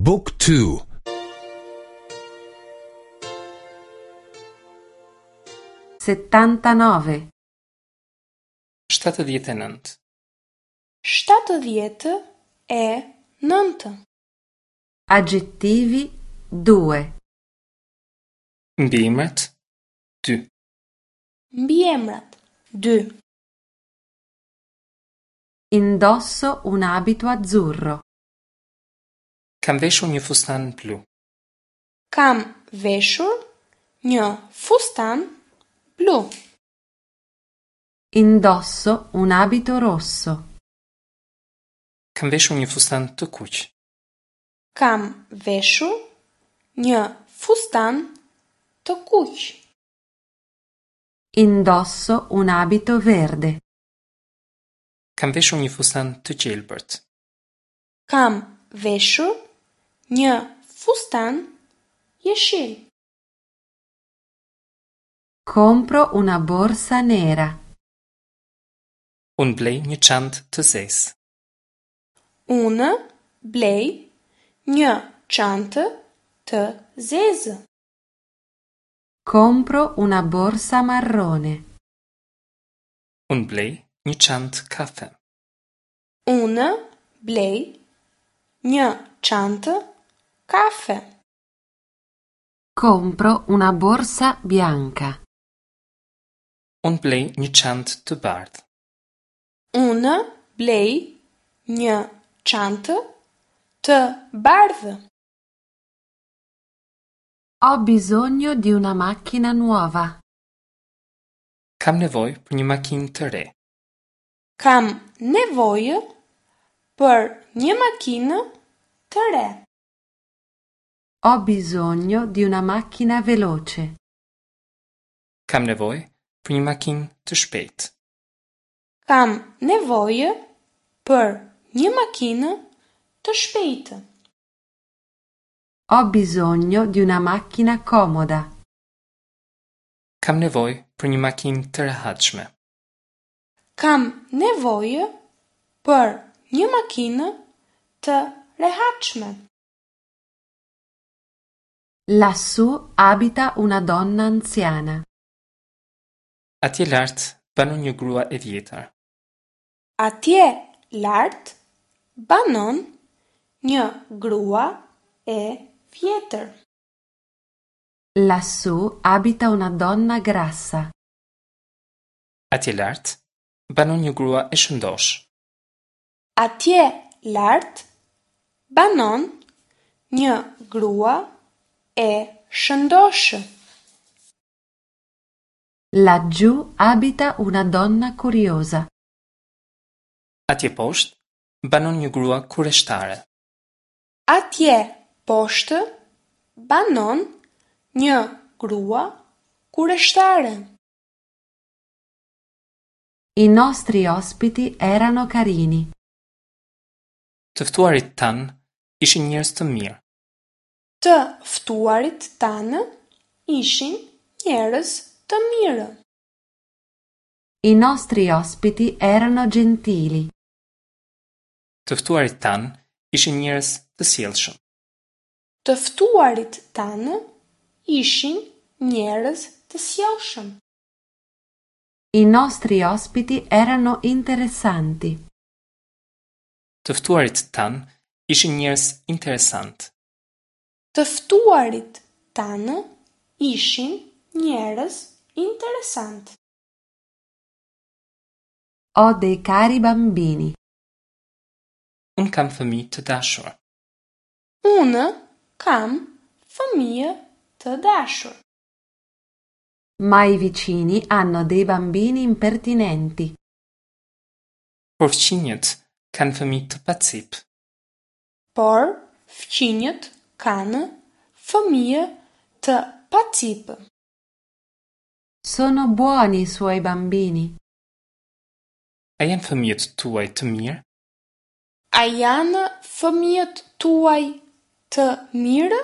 บุ๊กทู 79. 79. 79. Aggettivi 2. Mbiemrat 2. Mbiemrat 2. Indosso un abito azzurro. Kam veshur një fustan blu. Kam veshur një fustan blu. Indosso un abito rosso. Kam veshur një fustan të kuq. Kam veshur një fustan të kuq. Indosso un abito verde. Kam veshur një fustan të gjelbërt. Kam veshur një fustan jeshil. Compro una borsa nera. Unë blej një çantë të zezë. Unë blej një çantë të zezë. Compro una borsa marrone. Unë blej një çantë kafe. Unë blej një çantë kafe. Compro una borsa bianca. Unë blej një çantë të bardhë. Unë blej një çantë të bardhë. Ho bisogno di una macchina nuova. Kam nevojë për një makinë të re. Kam nevojë për një makinë të re. Ho bisogno di una macchina veloce. Kam nevojë për një makinë të shpejtë. Kam nevojë për një makinë të shpejtë. Ho bisogno di una macchina comoda. Kam nevojë për një makinë të rehatshme. Kam nevojë për një makinë të rehatshme. Lassù abita una donna anziana. Atje lart banon një grua e vjetër. Atje lart banon një grua e vjetër. Lassù abita una donna grassa. Atje lart banon një grua e shëndoshë. Atje lart banon një grua e shëndoshë. Laggiù abita una donna curiosa. Atje poshtë banon një grua kureshtare. Atje poshtë banon një grua kureshtare. I nostri ospiti erano carini. Të ftuarit tanë ishin njerëz të mirë. Të ftuarit tanë ishin njerëz të mirë. I nostri ospiti erano gentili. Të ftuarit tanë ishin njerëz të sjellshëm. Të ftuarit tanë ishin njerëz të sjellshëm. I nostri ospiti erano interessanti. Të ftuarit tanë ishin njerëz interesantë. Të ftuarit tanë ishin njerëz interesantë. Ho dei cari bambini. Unë kam fëmijë të dashur. Unë kam fëmijë të dashur. Ma i vicini hanno dei bambini impertinenti. Por fqinjët kanë fëmijë të pacipë. Por fqinjët kanë fëmijë të pacipë. Sono buoni i suoi bambini? A janë fëmijët tuaj të mirë? A janë fëmijët tuaj të mirë?